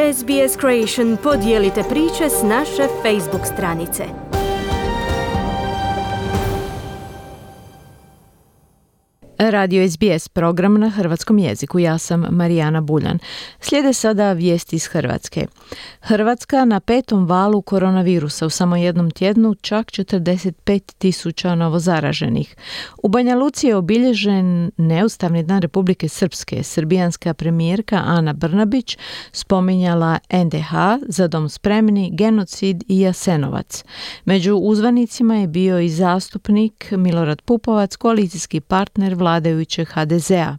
SBS Creation, podijelite priče s naše Facebook stranice. Radio SBS, program na hrvatskom jeziku. Ja sam Marijana Buljan. Slijede sada vijesti iz Hrvatske. Hrvatska na 5. valu koronavirusa, u samo jednom tjednu čak 45.000 novozaraženih. U Banja Luci je obilježen neustavni dan Republike Srpske. Srbijanska premijerka Ana Brnabić spominjala NDH, Za dom spremni, genocid i Jasenovac. Među uzvanicima je bio i zastupnik Milorad Pupovac, koalicijski partner vladajućeg HDZ-a.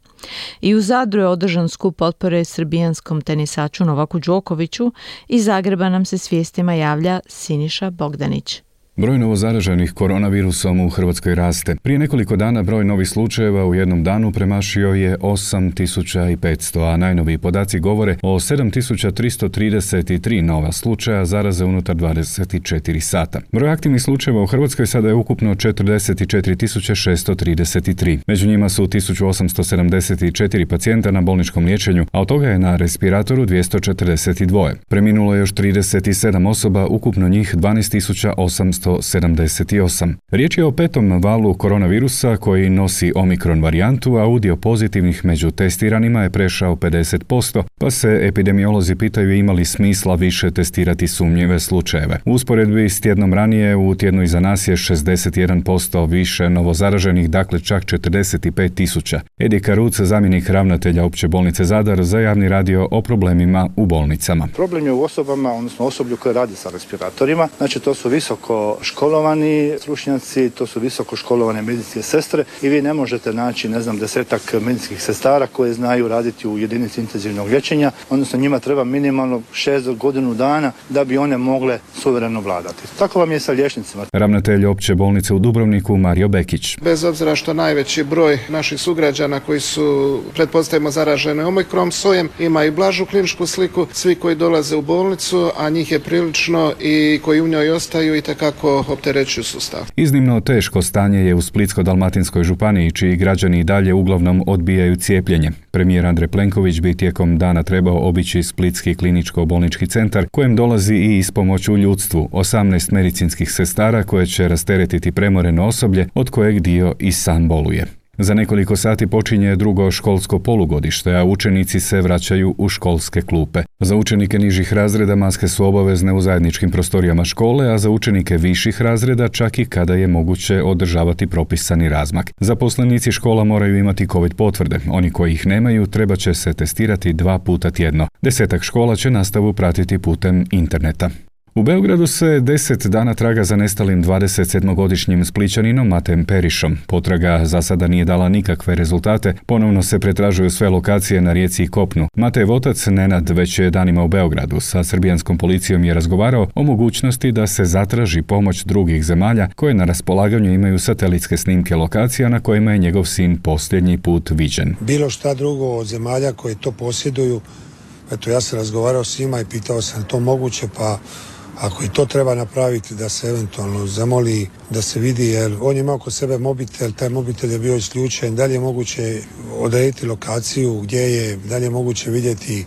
I u Zadru je održan skup potpore srbijanskom tenisaču Novaku Đokoviću. Iz Zagreba nam se s vijestima javlja Siniša Bogdanić. Broj novozaraženih koronavirusom u Hrvatskoj raste. Prije nekoliko dana broj novih slučajeva u jednom danu premašio je 8.500, a najnoviji podaci govore o 7.333 nova slučaja zaraze unutar 24 sata. Broj aktivnih slučajeva u Hrvatskoj sada je ukupno 44.633. Među njima su 1.874 pacijenta na bolničkom liječenju, a od toga je na respiratoru 242. Preminulo je još 37 osoba, ukupno njih 12.878. Riječ je o 5. valu koronavirusa koji nosi omikron varijantu, a udio pozitivnih među testiranima je prešao 50%, pa se epidemiolozi pitaju ima li smisla više testirati sumnjive slučajeve. U usporedbi s tjednom ranije, u tjednu iza nas je 61% više novozaraženih, dakle čak 45.000. Edi Karuc, zamjenik ravnatelja Opće bolnice Zadar, za javni radio o problemima u bolnicama. Problem je u osobama, odnosno osoblju koje radi sa respiratorima. Znači to su visoko školovani stručnjaci, to su visoko školovane medicinske sestre i vi ne možete naći, 10 medicinskih sestara koje znaju raditi u jedinici intenzivnog liječenja, odnosno njima treba minimalno 6 godinu dana da bi one mogle suvereno vladati. Tako vam je sa liječnicima. Ravnatelj Opće bolnice u Dubrovniku Mario Bekić. Bez obzira što najveći broj naših sugrađana koji su, pretpostavimo, zaraženi omikron sojem, ima i blažu kliničku sliku, svi koji dolaze u bolnicu, a njih je prilično i koji u njoj ostaju i takako opterećuju sustav. Iznimno teško stanje je u Splitsko-dalmatinskoj županiji, čiji građani i dalje uglavnom odbijaju cijepljenje. Premijer Andrej Plenković bi tijekom dana trebao obići Splitski kliničko-bolnički centar, kojem dolazi i ispomoć u ljudstvu, 18 medicinskih sestara koje će rasteretiti premoreno osoblje, od kojeg dio i sam boluje. Za nekoliko sati počinje drugo školsko polugodište, a učenici se vraćaju u školske klupe. Za učenike nižih razreda maske su obavezne u zajedničkim prostorijama škole, a za učenike viših razreda čak i kada je moguće održavati propisani razmak. Zaposlenici škola moraju imati COVID potvrde. Oni koji ih nemaju treba će se testirati 2 puta tjedno. 10 škola će nastavu pratiti putem interneta. U Beogradu se 10 dana traga za nestalim 27-godišnjim Splićaninom Matejem Perišom. Potraga za sada nije dala nikakve rezultate, ponovno se pretražuju sve lokacije na rijeci i kopnu. Matejev otac Nenad već je danima u Beogradu. Sa srbijanskom policijom je razgovarao o mogućnosti da se zatraži pomoć drugih zemalja koje na raspolaganju imaju satelitske snimke lokacija na kojima je njegov sin posljednji put viđen. Bilo šta drugo od zemalja koje to posjeduju, eto ja sam razgovarao s njima i pitao sam to moguće, pa ako i to treba napraviti da se eventualno zamoli da se vidi, jer on je imao kod sebe mobitel, taj mobitel je bio isključen, da li je moguće odrediti lokaciju gdje je, da li je moguće vidjeti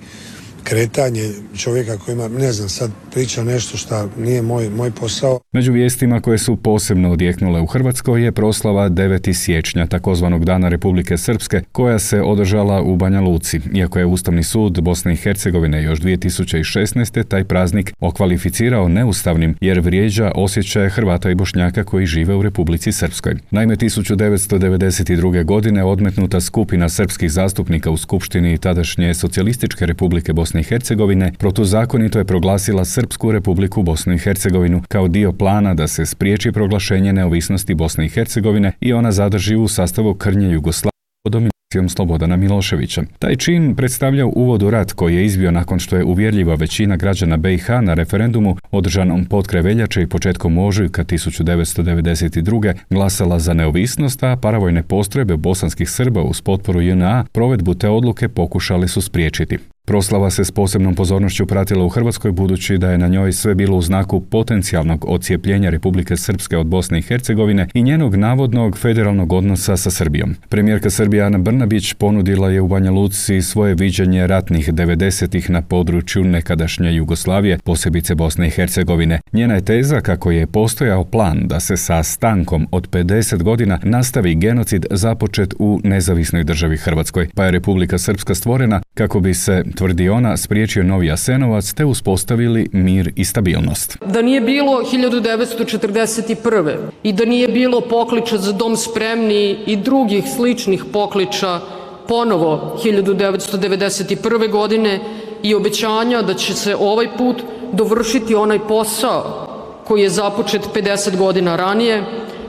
kretanje čovjeka koji ima, ne znam, sad priča nešto što nije moj posao. Među vijestima koje su posebno odjeknule u Hrvatskoj je proslava 9. siječnja, takozvanog Dana Republike Srpske, koja se održala u Banja Luci. Iako je Ustavni sud Bosne i Hercegovine još 2016. taj praznik okvalificirao neustavnim jer vrijeđa osjećaje Hrvata i Bošnjaka koji žive u Republici Srpskoj. Naime, 1992. godine odmetnuta skupina srpskih zastupnika u Skupštini tadašnje Socijalističke Republike Bosne i Hercegovine protuzakonito je proglasila Srpsku Republiku Bosnu i Hercegovinu kao dio plana da se spriječi proglašenje neovisnosti Bosne i Hercegovine i ona zadrži u sastavu krnje Jugoslavije pod dominacijom Slobodana Miloševića. Taj čin predstavlja uvod u rat koji je izbio nakon što je uvjerljiva većina građana BiH na referendumu održanom potkraj veljače i početkom ožujka 1992. glasala za neovisnost, a paravojne postrojbe bosanskih Srba uz potporu JNA provedbu te odluke pokušali su spriječiti. Proslava se s posebnom pozornošću pratila u Hrvatskoj budući da je na njoj sve bilo u znaku potencijalnog odcijepljenja Republike Srpske od Bosne i Hercegovine i njenog navodnog federalnog odnosa sa Srbijom. Premijerka Srbije Ana Brnabić ponudila je u Banja Luci svoje viđenje ratnih 90-ih na području nekadašnje Jugoslavije, posebice Bosne i Hercegovine. Njena je teza kako je postojao plan da se sa stankom od 50 godina nastavi genocid započet u nezavisnoj državi Hrvatskoj, pa je Republika Srpska stvorena kako bi se, tvrdi ona, spriječio novi Jasenovac te uspostavili mir i stabilnost. Da nije bilo 1941. i da nije bilo pokliča za dom spremni i drugih sličnih pokliča ponovo 1991. godine i obećanja da će se ovaj put dovršiti onaj posao koji je započet 50 godina ranije,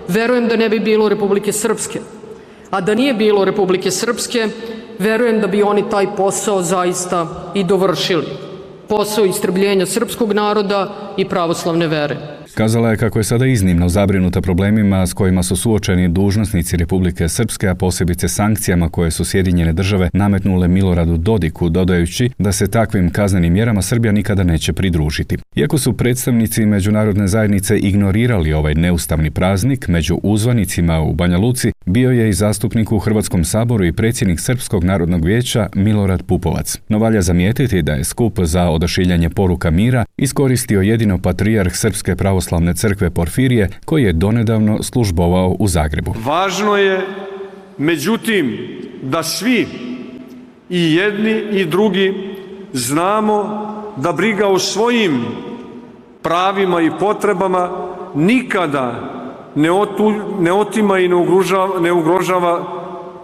verujem da ne bi bilo Republike Srpske. A da nije bilo Republike Srpske, verujem da bi oni taj posao zaista i dovršili. Posao istrebljenja srpskog naroda i pravoslavne vere. Kazala je kako je sada iznimno zabrinuta problemima s kojima su suočeni dužnosnici Republike Srpske, a posebice sankcijama koje su Sjedinjene države nametnule Miloradu Dodiku, dodajući da se takvim kaznenim mjerama Srbija nikada neće pridružiti. Iako su predstavnici međunarodne zajednice ignorirali ovaj neustavni praznik, među uzvanicima u Banja Luci bio je i zastupnik u Hrvatskom saboru i predsjednik Srpskog narodnog vijeća Milorad Pupovac. No valja zamijetiti da je skup za odašiljanje poruka mira iskoristio jedino patrijarh Srpske pravoslavne crkve Porfirije, koji je donedavno službovao u Zagrebu. Važno je, međutim, da svi, i jedni i drugi, znamo da briga o svojim pravima i potrebama nikada ne otima i ne ugrožava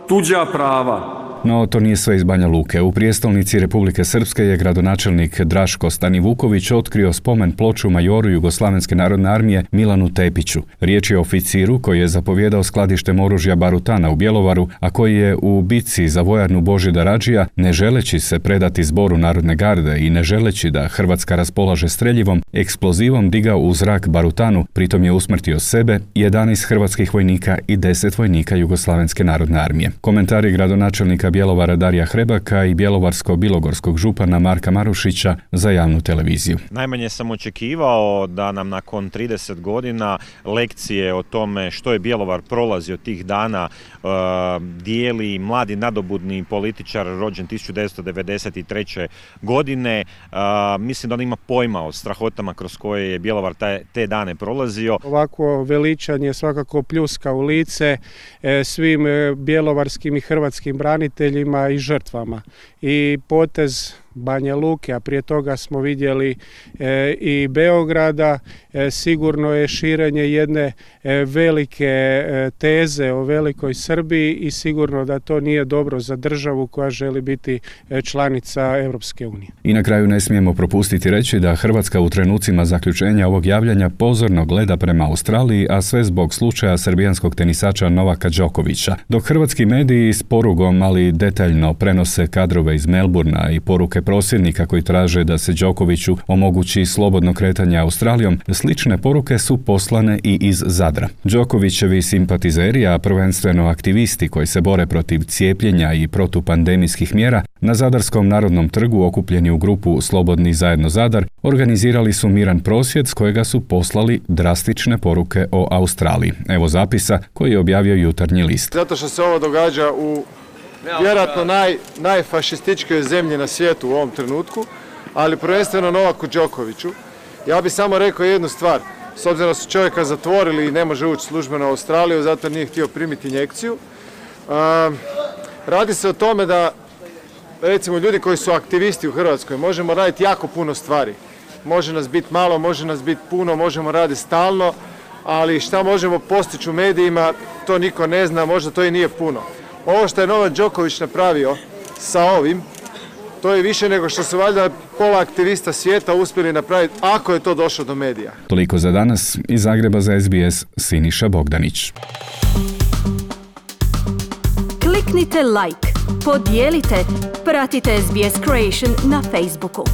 tuđa prava. No, to nije sve iz Banja Luke. U prijestolnici Republike Srpske je gradonačelnik Draško Stanivuković otkrio spomen ploču majoru Jugoslavenske narodne armije Milanu Tepiću. Riječ je o oficiru koji je zapovjedao skladištem oružja Barutana u Bjelovaru, a koji je u bitci za vojarnu Božidara Radžija, ne želeći se predati zboru Narodne garde i ne želeći da Hrvatska raspolaže streljivom, eksplozivom digao u zrak Barutanu, pritom je usmrtio sebe, 11 hrvatskih vojnika i 10 vojnika Jugoslavenske narodne armije. Komentari gradonačelnika Bjelovara Darija Hrebaka i bjelovarsko-bilogorskog župana Marka Marušića za javnu televiziju. Najmanje sam očekivao da nam nakon 30 godina lekcije o tome što je Bjelovar prolazio tih dana dijeli mladi nadobudni političar rođen 1993. godine. Mislim da on ima pojma o strahotama kroz koje je Bjelovar te dane prolazio. Ovako veličanje svakako pljuska u lice svim bjelovarskim i hrvatskim braniteljima i žrtvama. I potez Banja Luke, a prije toga smo vidjeli i Beograda, sigurno je širenje jedne velike teze o velikoj Srbiji i sigurno da to nije dobro za državu koja želi biti članica Europske unije. I na kraju ne smijemo propustiti reći da Hrvatska u trenucima zaključenja ovog javljanja pozorno gleda prema Australiji, a sve zbog slučaja srbijanskog tenisača Novaka Đokovića. Dok hrvatski mediji s porugom, ali detaljno prenose kadrove iz Melburna i poruke prosvjednika koji traže da se Đokoviću omogući slobodno kretanje Australijom, slične poruke su poslane i iz Zadra. Đokovićevi simpatizeri, a prvenstveno aktivisti koji se bore protiv cijepljenja i protupandemijskih mjera, na Zadarskom narodnom trgu okupljeni u grupu Slobodni zajedno Zadar, organizirali su miran prosvjed s kojega su poslali drastične poruke o Australiji. Evo zapisa koji je objavio Jutarnji list. Zato što se ovo događa u vjerojatno najfašističkoj zemlji na svijetu u ovom trenutku, ali prvenstveno Novaku Đokoviću. Ja bih samo rekao jednu stvar. S obzirom da su čovjeka zatvorili i ne može ući službeno u Australiju, zato nije htio primiti injekciju. Radi se o tome da, recimo, ljudi koji su aktivisti u Hrvatskoj, možemo raditi jako puno stvari. Može nas biti malo, može nas biti puno, možemo raditi stalno, ali šta možemo postići u medijima, to niko ne zna, možda to i nije puno. Ovo što je Novak Đoković napravio sa ovim, to je više nego što su valjda pola aktivista svijeta uspjeli napraviti, ako je to došlo do medija. Toliko za danas. Iz Zagreba za SBS, Siniša Bogdanić. Kliknite like, podijelite, pratite SBS Creation na Facebooku.